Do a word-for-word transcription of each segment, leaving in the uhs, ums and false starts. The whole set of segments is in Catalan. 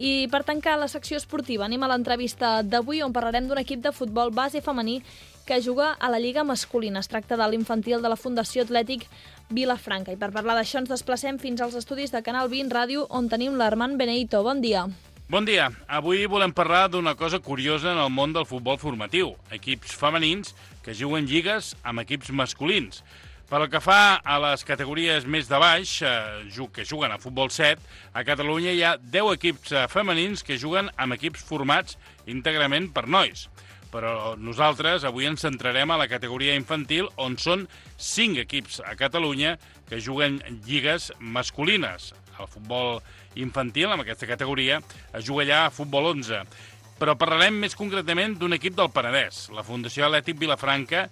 I per tancar la secció esportiva anem a l'entrevista d'avui on parlarem d'un equip de futbol base femení que juga a la Lliga masculina. Es tracta de l'infantil de la Fundació Atlètic Vilafranca. I per parlar d'això ens desplacem fins als estudis de Canal vint Ràdio on tenim l'Armand Benedito. Bon dia. Bon dia. Avui volem parlar d'una cosa curiosa en el món del futbol formatiu. Equips femenins que juguen lligues amb equips masculins. Pel que fa a les categories més de baix, eh, que juguen a futbol set, a Catalunya hi ha deu equips eh, femenins que juguen amb equips formats íntegrament per nois. Però nosaltres avui ens centrarem a la categoria infantil, on són cinc equips a Catalunya que juguen lligues masculines. El futbol infantil, en aquesta categoria, es juga allà a futbol onze. Però parlarem més concretament d'un equip del Penedès, la Fundació Atlètic Vilafranca.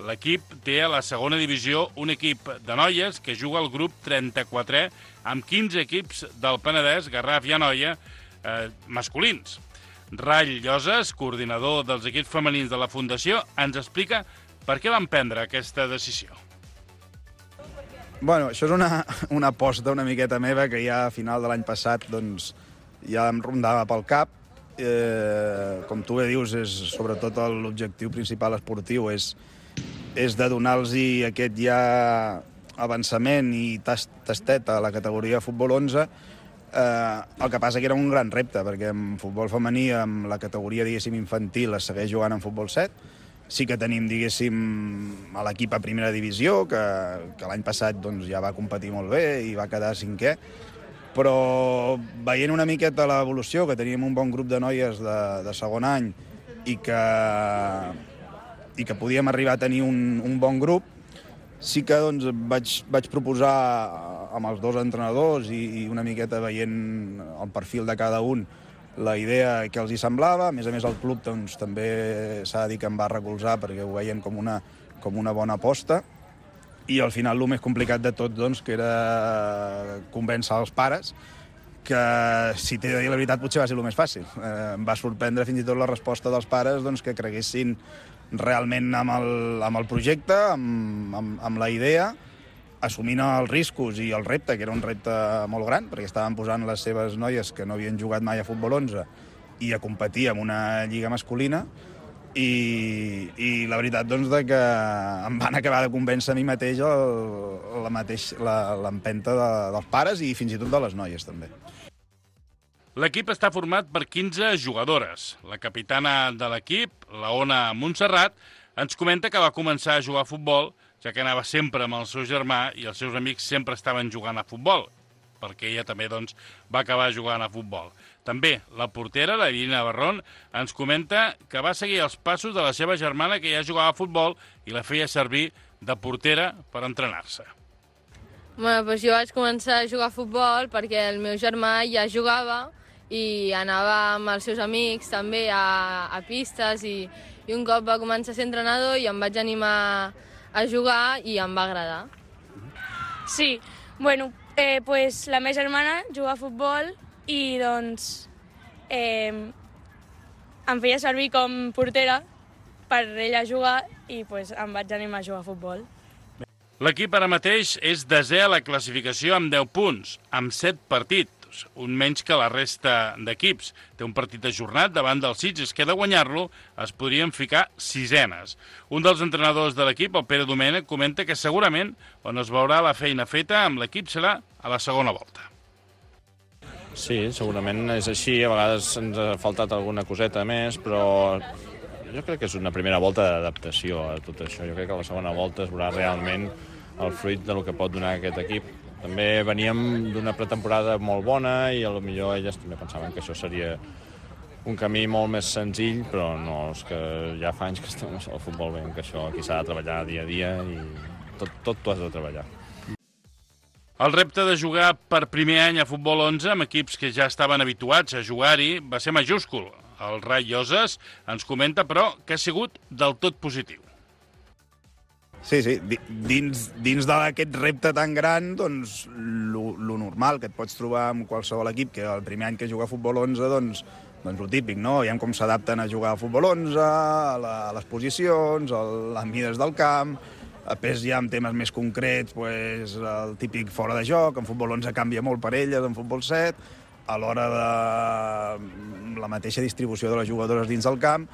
L'equip té a la segona divisió un equip de noies que juga al grup trenta-quatre amb quinze equips del Penedès, Garraf i Anoia, eh, masculins. Ray Lloses, coordinador dels equips femenins de la Fundació, ens explica per què van prendre aquesta decisió. Bueno, això és una, una aposta una miqueta meva que ja a final de l'any passat doncs, ja em rondava pel cap. Eh, com tu bé dius, és, sobretot l'objectiu principal esportiu és, és de donar-los aquest ja avançament i tast, tastet a la categoria futbol onze. Eh, el que passa que era un gran repte, perquè en futbol femení, amb la categoria, diguéssim, infantil, es segueix jugant en futbol set. Sí que tenim, diguéssim, a l'equip a primera divisió, que, que l'any passat doncs, ja va competir molt bé i va quedar cinquè, però veient una miqueta l'evolució, que teníem un bon grup de noies de, de segon any i que, i que podíem arribar a tenir un, un bon grup, sí que doncs, vaig, vaig proposar amb els dos entrenadors i, i una miqueta veient el perfil de cada un la idea que els hi semblava. A més a més, el club doncs, també s'ha de dir que em va recolzar perquè ho veien com una, com una bona aposta. I al final el més complicat de tot doncs, que era convèncer els pares, que si t'he de dir la veritat potser va ser el més fàcil. Eh, em va sorprendre fins i tot la resposta dels pares doncs, que creguessin realment amb el, amb el projecte, amb, amb, amb la idea, assumint els riscos i el repte, que era un repte molt gran, perquè estaven posant les seves noies que no havien jugat mai a futbol onze i a competir en una lliga masculina, i, i la veritat doncs, de que em van acabar de convèncer a mi mateix el, la mateix, la, l'empenta de, dels pares i fins i tot de les noies també. L'equip està format per quinze jugadores. La capitana de l'equip, la Ona Montserrat, ens comenta que va començar a jugar a futbol ja que anava sempre amb el seu germà i els seus amics sempre estaven jugant a futbol, perquè ella també doncs, va acabar jugant a futbol. També la portera, la Irina Barrón, ens comenta que va seguir els passos de la seva germana que ja jugava a futbol i la feia servir de portera per entrenar-se. Bueno, doncs jo vaig començar a jugar a futbol perquè el meu germà ja jugava i anava amb els seus amics també a, a pistes i, i un cop va començar a ser entrenador i em vaig animar a jugar i em va agradar. Sí, bueno, eh, pues la meva germana juga a futbol i doncs eh, em feia servir com portera per ella jugar i pues, em vaig animar a jugar a futbol. L'equip ara mateix és desè a la classificació amb deu punts, amb set partits, un menys que la resta d'equips. Té un partit ajornat davant del Sitges, que de guanyar-lo es podrien ficar sisenes. Un dels entrenadors de l'equip, el Pere Domènech, comenta que segurament on es veurà la feina feta amb l'equip serà a la segona volta. Sí, segurament és així. A vegades ens ha faltat alguna coseta més, però jo crec que és una primera volta d'adaptació a tot això. Jo crec que a la segona volta es veurà realment el fruit del que pot donar aquest equip. També veníem d'una pretemporada molt bona i potser elles també pensaven que això seria un camí molt més senzill, però no, és que ja fa anys que estem al futbol bé, que això aquí s'ha de treballar dia a dia i tot, tot t'ho has de treballar. El repte de jugar per primer any a futbol onze amb equips que ja estaven habituats a jugar-hi va ser majúscul. El Ray Lloses ens comenta, però, que ha sigut del tot positiu. Sí, sí, dins, dins d'aquest repte tan gran, doncs, lo, lo normal que et pots trobar amb qualsevol equip, que el primer any que juga a futbol onze, doncs, doncs lo típic, no? Veiem com s'adapten a jugar a futbol onze, a, la, a les posicions, a les mides del camp. Després ja amb temes més concrets, pues, el típic fora de joc, en futbol onze canvia molt per elles, en futbol set, a l'hora de la mateixa distribució de les jugadores dins del camp,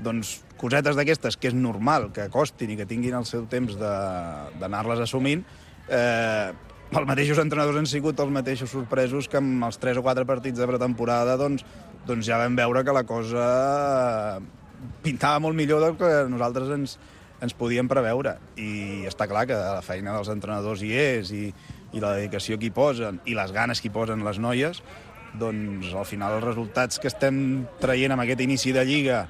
doncs cosetes d'aquestes que és normal que costin i que tinguin el seu temps d'anar-les assumint, eh, els mateixos entrenadors han sigut els mateixos sorpresos que amb els tres o quatre partits de pretemporada doncs, doncs ja vam veure que la cosa pintava molt millor del que nosaltres ens, ens podíem preveure. I està clar que la feina dels entrenadors hi és i, i la dedicació que hi posen i les ganes que hi posen les noies, doncs al final els resultats que estem traient amb aquest inici de Lliga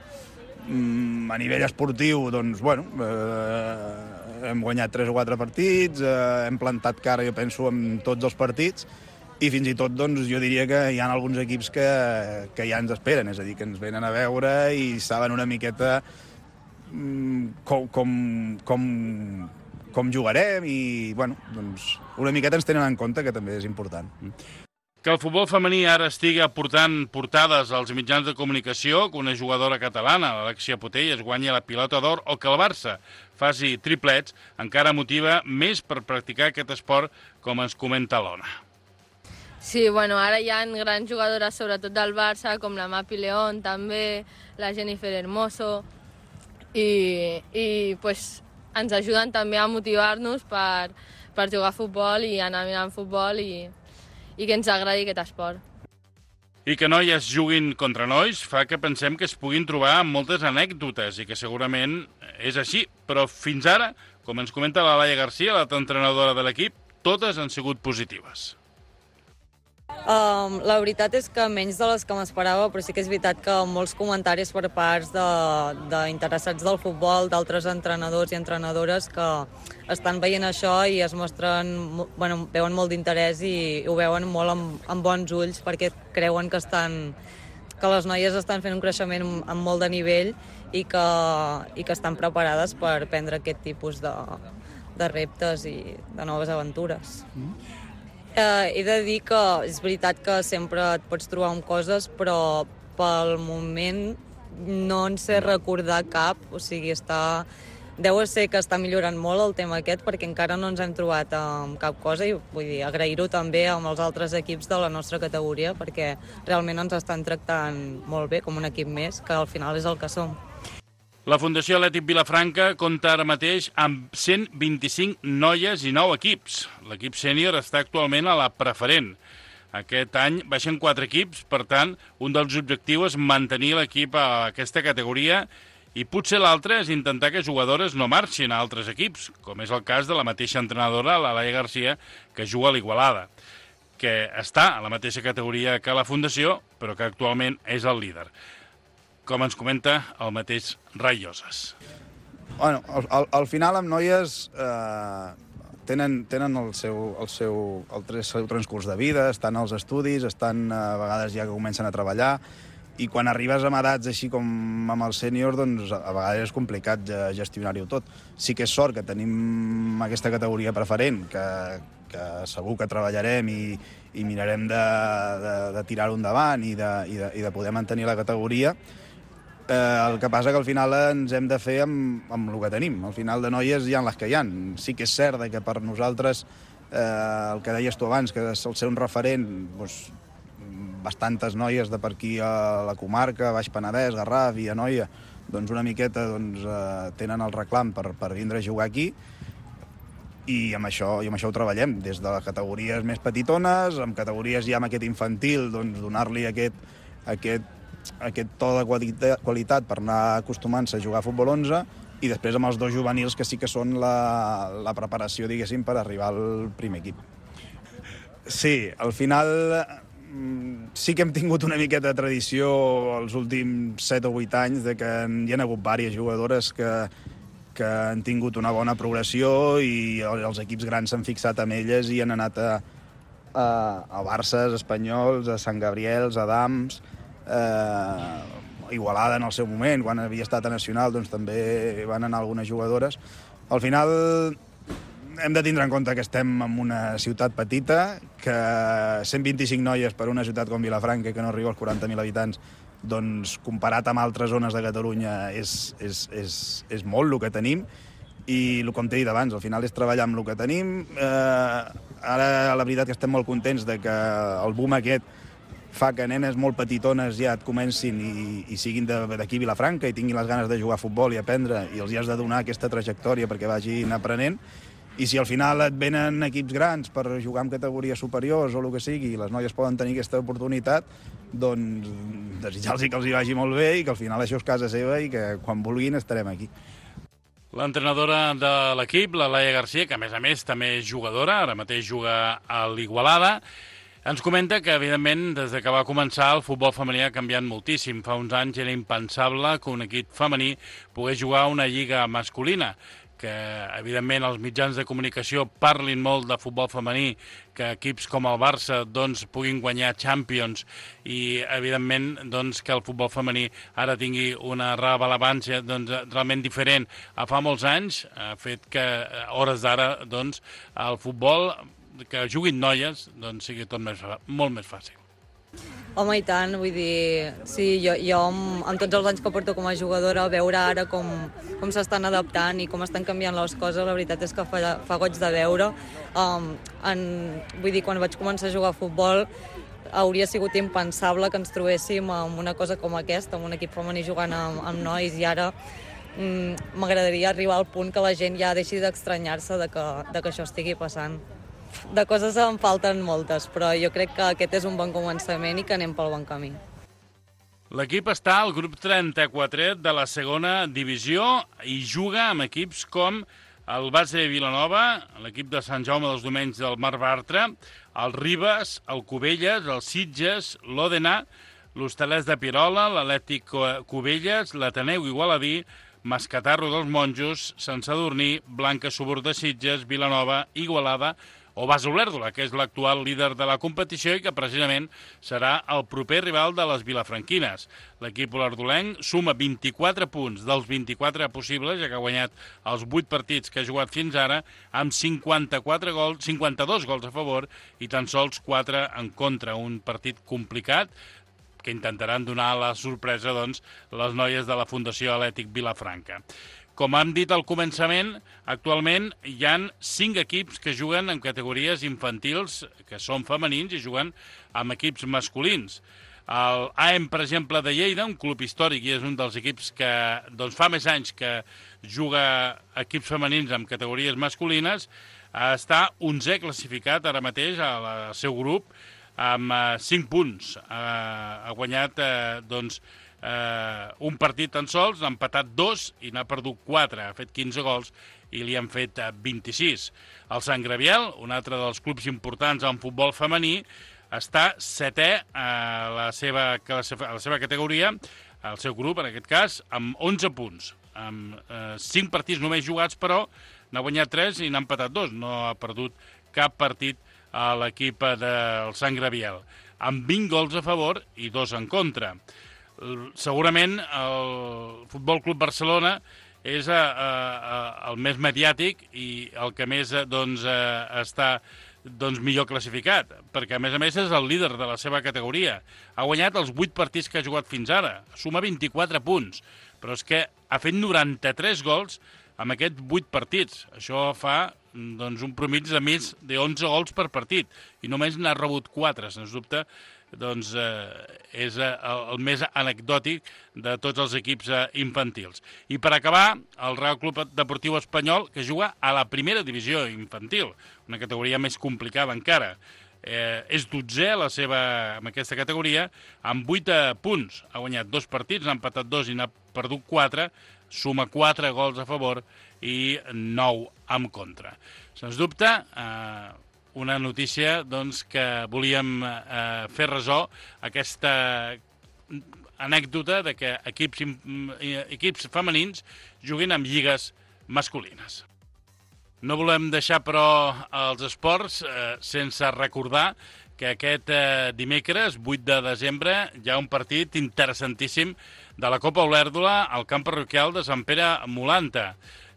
a nivell esportiu, doncs, bueno, eh, hem guanyat tres o quatre partits, eh, hem plantat cara, jo penso, en tots els partits, i fins i tot, doncs, jo diria que hi ha alguns equips que, que ja ens esperen, és a dir, que ens venen a veure i saben una miqueta com, com, com, com jugarem i, bueno, doncs, una miqueta ens tenen en compte, que també és important. Que el futbol femení ara estigui aportant portades als mitjans de comunicació, que una jugadora catalana, l'Alexia Putellas, guanyi la pilota d'or o que el Barça faci triplets, encara motiva més per practicar aquest esport, com ens comenta l'Ona. Sí, bueno, ara hi ha grans jugadores, sobretot del Barça, com la Mapi León, també, la Jennifer Hermoso, i, i pues, ens ajuden també a motivar-nos per, per jugar a futbol i anar mirant futbol i... i que ens agradi aquest esport. I que noies juguin contra nois fa que pensem que es puguin trobar moltes anècdotes i que segurament és així, però fins ara, com ens comenta la Laia Garcia, l'entrenadora de l'equip, totes han sigut positives. Um, la veritat és que menys de les que m'esperava, però sí que és veritat que molts comentaris per parts d'interessats de, del futbol, d'altres entrenadors i entrenadores que estan veient això i es mostren, bueno, veuen molt d'interès i ho veuen molt amb, amb bons ulls perquè creuen que, estan, que les noies estan fent un creixement amb molt de nivell i que, i que estan preparades per prendre aquest tipus de, de reptes i de noves aventures. Mm. Eh, he de dir que és veritat que sempre et pots trobar amb coses, però pel moment no en sé recordar cap, o sigui, està... deu ser que està millorant molt el tema aquest perquè encara no ens hem trobat amb cap cosa i vull dir, agrair-ho també amb els altres equips de la nostra categoria perquè realment ens estan tractant molt bé com un equip més, que al final és el que som. La Fundació Atlètic Vilafranca compta ara mateix amb cent vint-i-cinc noies i nou equips. L'equip sènior està actualment a la preferent. Aquest any baixen quatre equips, per tant, un dels objectius és mantenir l'equip a aquesta categoria i potser l'altre és intentar que jugadores no marxin a altres equips, com és el cas de la mateixa entrenadora, la Laia Garcia, que juga a l'Igualada, que està a la mateixa categoria que la Fundació, però que actualment és el líder. Com ens comenta el mateix Rai Lloses. Bueno, al, al, al final amb noies eh, tenen, tenen el, seu, el, seu, el seu transcurs de vida, estan als estudis, estan a vegades ja que comencen a treballar, i quan arribes a edats així com amb el sènior, doncs a vegades és complicat gestionar-ho tot. Sí que és sort que tenim aquesta categoria preferent, que, que segur que treballarem i, i mirarem de, de, de tirar-ho endavant i de, i, de, i de poder mantenir la categoria. Eh, el que passa que al final ens hem de fer amb, amb el que tenim. Al final de noies hi ha les que hi ha. Sí que és cert que per nosaltres, eh, el que deies tu abans, que sol ser un referent, doncs, bastantes noies de per aquí a la comarca, Baix Penedès, Garraf i Anoia, doncs una miqueta doncs, eh, tenen el reclam per, per vindre a jugar aquí i amb això, i amb això ho treballem, des de les categories més petitones, amb categories ja amb aquest infantil, doncs donar-li aquest, aquest, aquest to de qualitat, qualitat per anar acostumant-se a jugar a futbol onze i després amb els dos juvenils que sí que són la, la preparació, diguéssim, per arribar al primer equip. Sí, al final sí que hem tingut una miqueta de tradició els últims set o vuit anys de que hi ha hagut diverses jugadores que, que han tingut una bona progressió i els equips grans s'han fixat amb elles i han anat a, a, a Barces, Espanyols, a Sant Gabriels, a Dams, eh, Igualada en el seu moment, quan havia estat a Nacional doncs també van anar algunes jugadores. Al final hem de tindre en compte que estem en una ciutat petita, que cent vint-i-cinc noies per una ciutat com Vilafranca, que no arriba als quaranta mil habitants, doncs comparat amb altres zones de Catalunya és, és, és, és molt el que tenim i com t'he dit abans, al final és treballar amb el que tenim. Eh, ara la veritat que estem molt contents de que el boom aquest fa que nenes molt petitones ja et comencin i, i siguin d'aquí a Vilafranca i tinguin les ganes de jugar a futbol i aprendre, i els hi has de donar aquesta trajectòria perquè vagin aprenent. I si al final et venen equips grans per jugar en categories superiors o el que sigui, i les noies poden tenir aquesta oportunitat, doncs desitjar-los que els hi vagi molt bé i que al final això és casa seva i que quan vulguin estarem aquí. L'entrenadora de l'equip, la Laia Garcia, que a més a més també és jugadora, ara mateix juga a l'Igualada, ens comenta que, evidentment, des que va començar, el futbol femení ha canviat moltíssim. Fa uns anys era impensable que un equip femení pogués jugar a una lliga masculina, que, evidentment, els mitjans de comunicació parlin molt de futbol femení, que equips com el Barça doncs, puguin guanyar Champions i, evidentment, doncs, que el futbol femení ara tingui una rellevància doncs, realment diferent a fa molts anys, ha fet que, a hores d'ara, doncs, el futbol que juguin noies doncs, sigui tot més, molt més fàcil. Home, i tant, vull dir, sí, jo, jo amb, amb tots els anys que porto com a jugadora, veure ara com, com s'estan adaptant i com estan canviant les coses, la veritat és que fa, fa goig de veure. Um, en, vull dir, quan vaig començar a jugar a futbol, hauria sigut impensable que ens trobéssim amb una cosa com aquesta, amb un equip femení jugant amb, amb nois, i ara mm, m'agradaria arribar al punt que la gent ja deixi d'estranyar-se de que, de que això estigui passant. De coses en falten moltes, però jo crec que aquest és un bon començament i que anem pel bon camí. L'equip està al grup trenta-quatre de la segona divisió i juga amb equips com el Base de Vilanova, l'equip de Sant Jaume dels Domenys del Mar Bartra, el Ribes, el Cubelles, el Sitges, l'Òdena, l'Hostalets de Pirola, l'Atlètic Cubelles, l'Ateneu Igualadí, Mascatarro dels Monjos, Sant Sadurní, Blanca Subur de Sitges, Vilanova, Igualada o Base Olèrdola, que és l'actual líder de la competició i que precisament serà el proper rival de les vilafranquines. L'equip olerdolenc suma vint-i-quatre punts dels vint-i-quatre possibles, ja que ha guanyat els vuit partits que ha jugat fins ara, amb cinquanta-quatre gols, cinquanta-dos gols a favor i tan sols quatre en contra. Un partit complicat que intentaran donar la sorpresa doncs, les noies de la Fundació Atlètic Vilafranca. Com hem dit al començament, actualment hi ha cinc equips que juguen en categories infantils, que són femenins, i juguen amb equips masculins. El A E M, per exemple, de Lleida, un club històric i és un dels equips que doncs, fa més anys que juga equips femenins amb categories masculines, està onzè classificat ara mateix al seu grup, amb uh, cinc punts. Uh, ha guanyat uh, doncs, uh, un partit tan sols, n'ha empatat dos i n'ha perdut quatre. Ha fet quinze gols i li han fet uh, vint-i-sis. El Sant Gabriel, un altre dels clubs importants en futbol femení, està setè a la seva, a la seva categoria, al seu grup, en aquest cas, amb onze punts. Amb uh, cinc partits només jugats, però n'ha guanyat tres i n'ha empatat dos. No ha perdut cap partit a l'equip del Sant Gabriel, amb vint gols a favor i dos en contra. Segurament el Futbol Club Barcelona és a, a, a, el més mediàtic i el que més doncs, a, està doncs, millor classificat, perquè a més a més és el líder de la seva categoria. Ha guanyat els vuit partits que ha jugat fins ara, suma vint-i-quatre punts, però és que ha fet noranta-tres gols amb aquests vuit partits. Això fa doncs, un promig de més d'onze gols per partit i només n'ha rebut quatre. Sens dubte, doncs, eh, és eh, el més anecdòtic de tots els equips eh, infantils. I per acabar, el Real Club Deportiu Espanyol, que juga a la primera divisió infantil, una categoria més complicada encara. Eh, és dotzè la seva, en aquesta categoria, amb vuit eh, punts. Ha guanyat dos partits, n'ha empatat dos i n'ha perdut quatre, suma quatre gols a favor i nou en contra. Sens dubte, eh, una notícia doncs, que volíem eh, fer ressò, aquesta anècdota de que equips, equips femenins juguin amb lligues masculines. No volem deixar, però, els esports eh, sense recordar que aquest eh, dimecres, vuit de desembre, hi ha un partit interessantíssim de la Copa Olèrdola al camp parroquial de Sant Pere Molanta.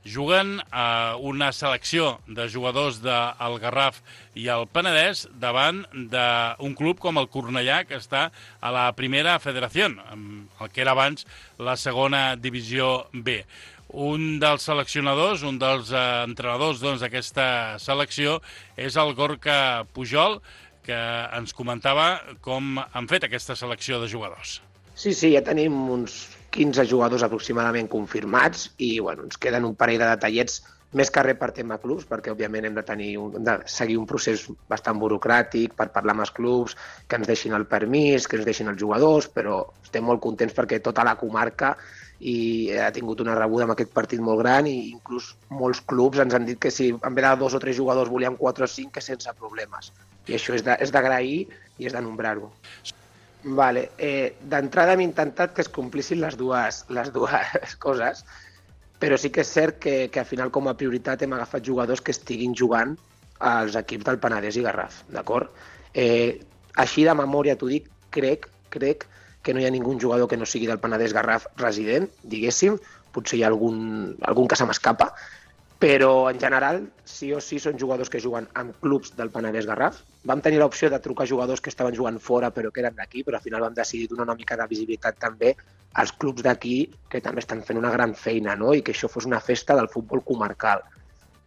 Juguen eh, una selecció de jugadors del Garraf i el Penedès davant d'un club com el Cornellà, que està a la primera federació, el que era abans la segona divisió B. Un dels seleccionadors, un dels eh, entrenadors doncs, d'aquesta selecció és el Gorka Pujol, que ens comentava com han fet aquesta selecció de jugadors. Sí, sí, ja tenim uns quinze jugadors aproximadament confirmats i bueno, ens queden un parell de detallets més que res per tema clubs, perquè òbviament hem de, tenir un, de seguir un procés bastant burocràtic per parlar amb els clubs, que ens deixin el permís, que ens deixin els jugadors, però estem molt contents perquè tota la comarca i ha tingut una rebuda amb aquest partit molt gran i inclús molts clubs ens han dit que si en vez de dos o tres jugadors volien quatre o cinc, que sense problemes. I això és d'agrair i és de nombrar-ho. Vale. Eh, D'entrada hem intentat que es complissin les dues, les dues coses, però sí que és cert que, que al final com a prioritat hem agafat jugadors que estiguin jugant als equips del Penedès i Garraf, d'acord? Eh, així de memòria t'ho dic, crec, crec que no hi ha ningú jugador que no sigui del Penedès Garraf resident, diguéssim, potser hi ha algun, algun que se m'escapa, però en general sí o sí són jugadors que juguen en clubs del Penedès Garraf. Vam tenir l'opció de trucar jugadors que estaven jugant fora però que eren d'aquí, però al final vam decidir donar una mica de visibilitat també als clubs d'aquí que també estan fent una gran feina, no? I que això fos una festa del futbol comarcal.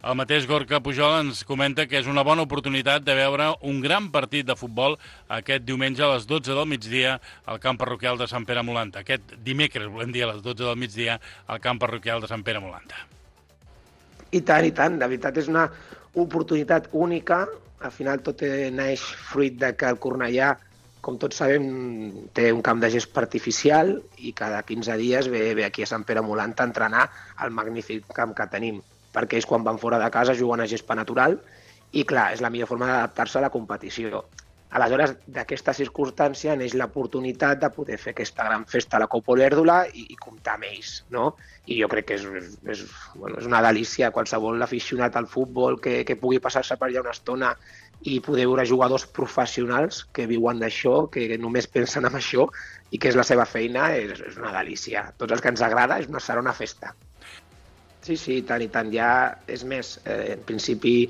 El mateix Gorka Pujol ens comenta que és una bona oportunitat de veure un gran partit de futbol aquest diumenge a les dotze del migdia al camp parroquial de Sant Pere Molanta. Aquest dimecres, volem dir, a les dotze del migdia al camp parroquial de Sant Pere Molanta. I tant, i tant. De veritat és una oportunitat única. Al final tot neix fruit de que el Cornellà, com tots sabem, té un camp de gespa artificial i cada quinze dies ve, ve aquí a Sant Pere Molanta a entrenar al magnífic camp que tenim, perquè ells quan van fora de casa juguen a gespa natural i clar, és la millor forma d'adaptar-se a la competició. Aleshores, d'aquesta circumstància neix l'oportunitat de poder fer aquesta gran festa a la Copa Olèrdola i, i comptar amb ells, no? I jo crec que és, és, bueno, és una delícia qualsevol aficionat al futbol que, que pugui passar-se per allà una estona i poder veure jugadors professionals que viuen d'això, que només pensen en això i que és la seva feina, és, és una delícia. Tots els que ens agrada és una, serà una festa. Sí, sí, tant i tant. Ja, és més, eh, en principi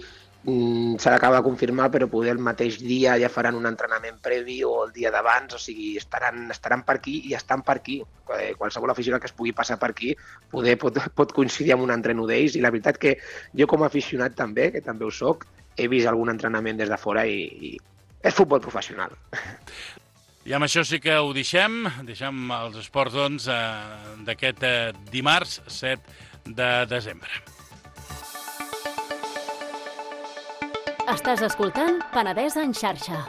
s'ha d'acabar de confirmar, però poder el mateix dia ja faran un entrenament previ o el dia d'abans, o sigui, estaran, estaran per aquí i estan per aquí. Qualsevol aficionat que es pugui passar per aquí poder, pot, pot coincidir amb un entreno d'ells i la veritat que jo com a aficionat també, que també ho soc, he vist algun entrenament des de fora i, i és futbol professional. I amb això sí que ho deixem, deixem els esports doncs, eh, d'aquest eh, dimarts set de desembre. Estàs escoltant Penedès en xarxa.